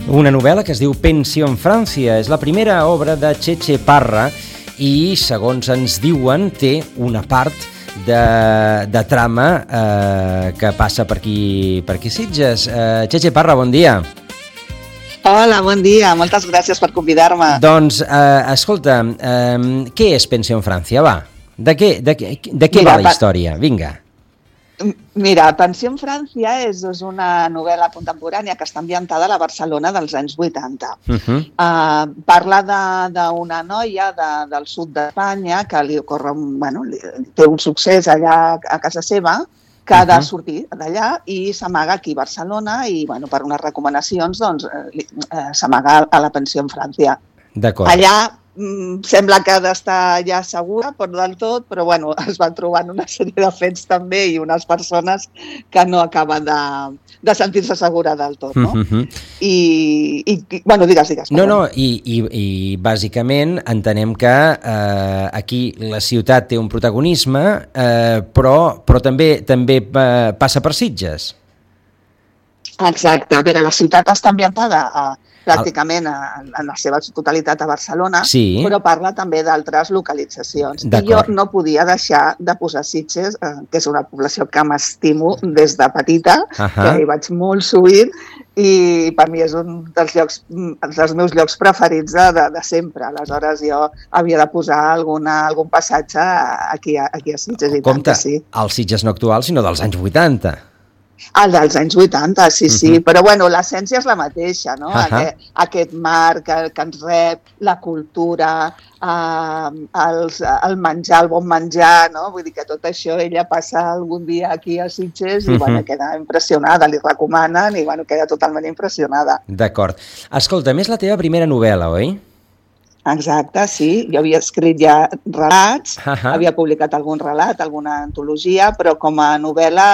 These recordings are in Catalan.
Una novel·la que es diu Pensión Francia. És la primera obra de Txetxe Parra i, segons ens diuen, té una part de trama que passa per aquí Sitges. Txetxe Parra, bon dia. Hola, bon dia. Moltes gràcies per convidar-me. Doncs, escolta, què és Pensión Francia? Va, de què va la història? Vinga. Mira, Pensión Francia és una novel·la contemporània que està ambientada a la Barcelona dels anys 80. Parla d'una noia del sud d'Espanya que li ocorre, té un succés allà a casa seva, que ha de sortir d'allà i s'amaga aquí a Barcelona i, per unes recomanacions, doncs, s'amaga a la Pensión Francia. D'acord. Allà sembla que ha d'estar ja segura, però del tot, però es van trobant una sèrie de fets també i unes persones que no acaben de sentir-se segura del tot, no? Digues. No, i bàsicament entenem que aquí la ciutat té un protagonisme, però també passa per Sitges. Exacte. A veure, la ciutat està ambientada pràcticament en la seva totalitat a Barcelona, sí, però parla també d'altres localitzacions. I jo no podia deixar de posar Sitges, que és una població que m'estimo des de petita, que hi vaig molt sovint, i per mi és un dels meus llocs preferits de sempre. Aleshores jo havia de posar algun passatge aquí a Sitges. Compte, el Sitges no actual, sinó dels anys 80. El dels anys 80, sí, però l'essència és la mateixa, no? Aquest mar que ens rep, la cultura, el menjar, el bon menjar, no? Vull dir que tot això ella passa algun dia aquí a Sitges i queda impressionada, li recomanen i queda totalment impressionada. D'acord. Escolta, a més la teva primera novel·la, oi? Exacte, sí. Jo havia escrit ja relats, havia publicat algun relat, alguna antologia, però com a novel·la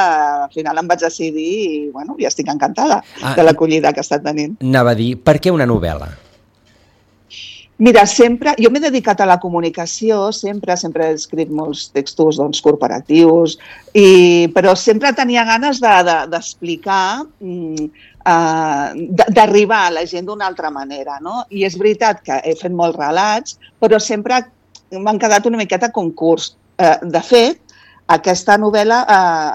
al final em vaig decidir i estic encantada de l'acollida que ha estat tenint. Anava a dir, per què una novel·la? Mira, jo m'he dedicat a la comunicació, sempre he escrit molts textos corporatius, però sempre tenia ganes d'explicar, d'arribar a la gent d'una altra manera, no? I és veritat que he fet molts relats, però sempre m'han quedat una miqueta concurs. De fet, aquesta novel·la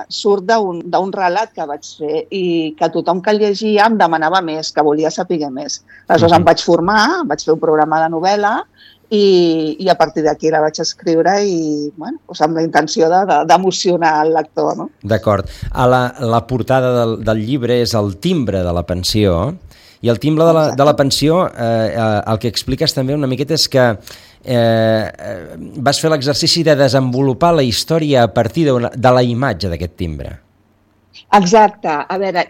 surt d'un relat que vaig fer i que tothom que el llegia em demanava més, que volia saber més. Aleshores em vaig formar, vaig fer un programa de novel·la i a partir d'aquí la vaig escriure i amb la intenció d'emocionar el lector. No? D'acord. La portada del llibre és el timbre de la pensió i el timbre de la pensió el que expliques també una miqueta és que vas fer l'exercici de desenvolupar la història a partir de la imatge d'aquest timbre. Exacte. A veure,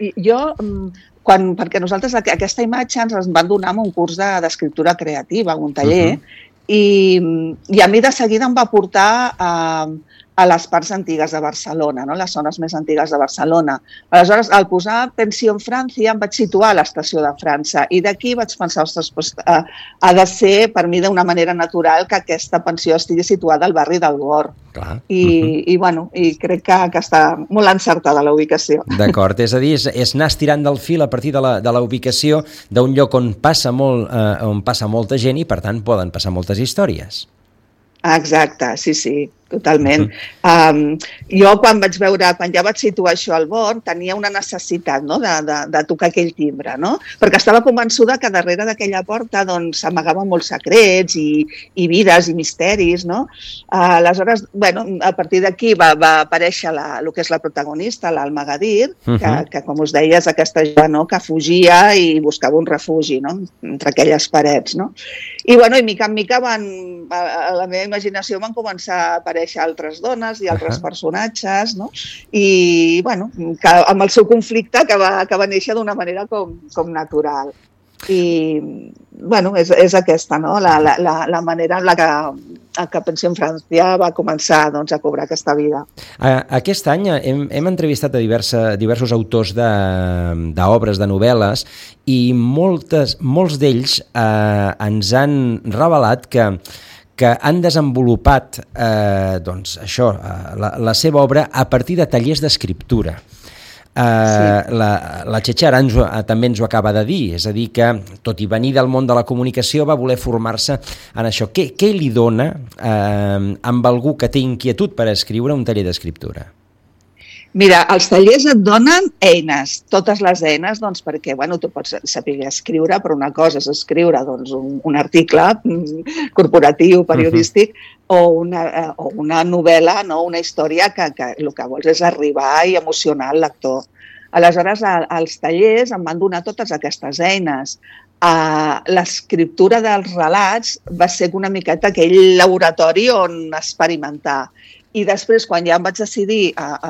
perquè nosaltres aquesta imatge ens van donar en un curs d'escriptura creativa, un taller, i a mi de seguida em va portar a les parts antigues de Barcelona, no? Les zones més antigues de Barcelona. Aleshores, al posar Pensión Francia, em vaig situar a l'estació de França i d'aquí vaig pensar, ha de ser per mi d'una manera natural que aquesta pensió estigui situada al barri del Bor. I crec que està molt encertada la ubicació. D'acord, és a dir, és anar estirant del fil a partir de la ubicació d'un lloc on passa molta gent i, per tant, poden passar moltes històries. Exacte, sí, totalment. Jo quan ja vaig situar això al Born, tenia una necessitat de tocar aquell timbre, no? Perquè estava convençuda que darrere d'aquella porta s'amagaven molts secrets i vides i misteris, no? Aleshores, a partir d'aquí va aparèixer el que és la protagonista, l'Alma Gadir, que com us deia és aquesta jove que fugia i buscava un refugi, no? Entre aquelles parets, no? I mica en mica a la meva imaginació van començar a aparèixer altres dones i altres personatges, no? I, amb el seu conflicte que va néixer d'una manera com natural. I, és aquesta, no? La manera en la que Pensión Francia va començar a cobrar aquesta vida. Aquest any hem entrevistat a diversos autors d'obres, de novel·les, i molts d'ells ens han revelat que han desenvolupat la seva obra a partir de tallers d'escriptura. La Txetxe ara també ens ho acaba de dir, és a dir que, tot i venir del món de la comunicació, va voler formar-se en això. Què li dona amb algú que té inquietud per escriure un taller d'escriptura? Mira, els tallers et donen eines, totes les eines, doncs, perquè tu pots saber escriure, però una cosa és escriure un article corporatiu, periodístic, o una novel·la, una història que el que vols és arribar i emocionar el lector. Aleshores, els tallers em van donar totes aquestes eines. L'escriptura dels relats va ser una miqueta aquell laboratori on experimentar. I després, quan ja em vaig decidir a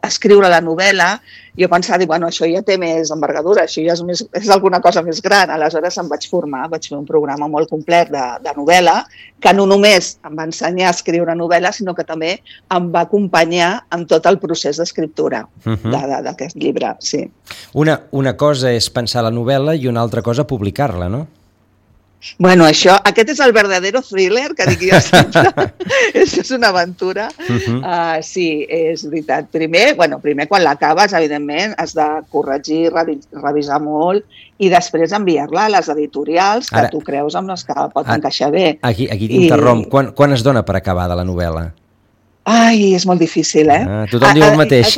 escriure la novel·la, jo pensava, això ja té més envergadura, això ja és alguna cosa més gran. Aleshores em vaig formar, vaig fer un programa molt complet de novel·la, que no només em va ensenyar a escriure novel·la, sinó que també em va acompanyar en tot el procés d'escriptura d'aquest llibre. Sí. Una cosa és pensar la novel·la i una altra cosa publicar-la, no? Aquest és el verdadero thriller que dic jo sempre. Això és una aventura. Sí, és veritat. Primer, quan l'acabes, evidentment, has de corregir, revisar molt i després enviar-la a les editorials que tu creus amb les que pot encaixar bé. Aquí t'interromp. Quan es dona per acabada la novel·la? Ai, és molt difícil, Tothom diu el mateix.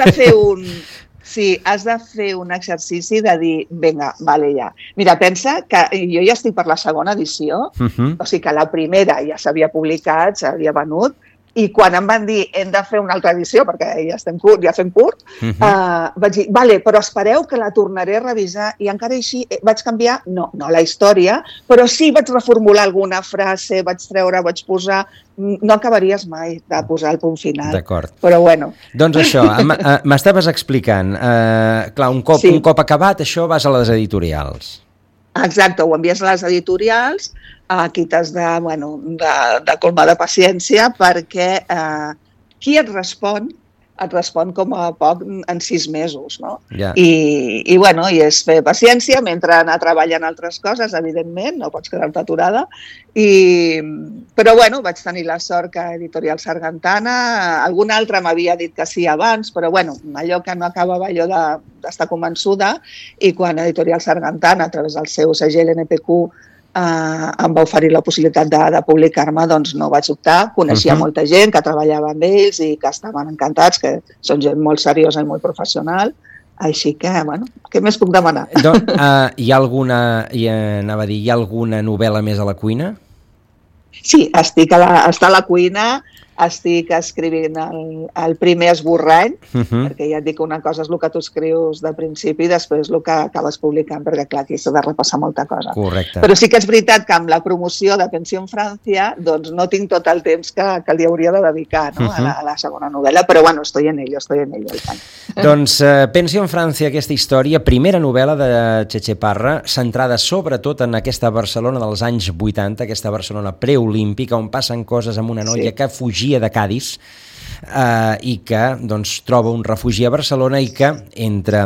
Has de fer un exercici de dir, vinga, vale, ja. Mira, pensa que jo ja estic per la segona edició, o sigui que la primera ja s'havia publicat, s'havia venut, i quan em van dir hem de fer una altra edició, perquè ja fem curt, vaig dir, vale, però espereu que la tornaré a revisar, i encara així vaig canviar, no la història, però sí vaig reformular alguna frase, vaig posar... No acabaries mai de posar el punt final. D'acord. Però bueno. Doncs això, m'estaves explicant, clar, un cop acabat, això vas a les editorials. Exacte, ho envies a les editorials, aquí t'has de colmar de paciència perquè qui et respon com a poc en 6 mesos, no? Yeah. I és fer paciència mentre anar treballant altres coses, evidentment, no pots quedar-te aturada. Però vaig tenir la sort que Editorial Sargantana, algun altre m'havia dit que sí abans, però allò que no acabava jo d'estar convençuda, i quan Editorial Sargantana, a través del seu segell NPQ, em va oferir la possibilitat de publicar-me, doncs no vaig optar. Coneixia molta gent que treballava amb ells i que estaven encantats, que són gent molt seriosa i molt professional. Així que, què més puc demanar? Hi ha alguna novel·la més a la cuina? Sí, està a la cuina, estic escrivint el primer esborrany, perquè ja et dic que una cosa és el que tu escrius de principi i després el que acabes publicant, perquè clar, aquí s'ha de repassar molta cosa. Correcte. Però sí que és veritat que amb la promoció de Pensión Francia doncs no tinc tot el temps que li hauria de dedicar a la segona novel·la, però estoy en ello. Doncs Pensión Francia, aquesta història, primera novel·la de Txetxe Parra, centrada sobretot en aquesta Barcelona dels anys 80, aquesta Barcelona preolímpica, on passen coses amb una noia que fugia de Cadis i que troba un refugi a Barcelona i que entre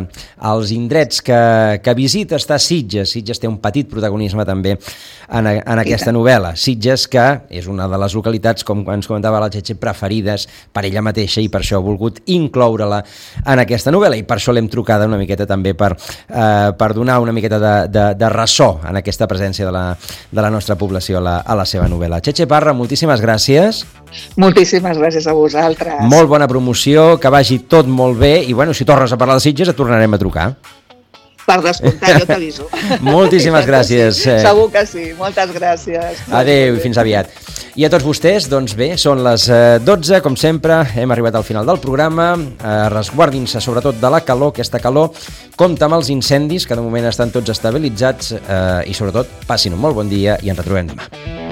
els indrets que visita està Sitges. Sitges té un petit protagonisme també en aquesta novel·la. Sitges, que és una de les localitats, com ens comentava la Txetxe, preferides per ella mateixa, i per això ha volgut incloure-la en aquesta novel·la, i per això l'hem trucada una miqueta també per donar una miqueta de ressò en aquesta presència de la nostra població a la seva novel·la. Txetxe Parra, moltíssimes gràcies. Moltíssimes gràcies a vosaltres. Molt bona promoció, que vagi tot molt bé, i si tornes a parlar de Sitges et tornarem a trucar. Per descomptat, jo t'aviso. Moltíssimes gràcies. Segur que sí, moltes gràcies. Adéu i fins aviat. I a tots vostès, doncs bé, són les 12, com sempre, hem arribat al final del programa. Resguardin-se sobretot de la calor, aquesta calor, compta amb els incendis, que de moment estan tots estabilitzats, i sobretot passin un molt bon dia i ens retrobem demà.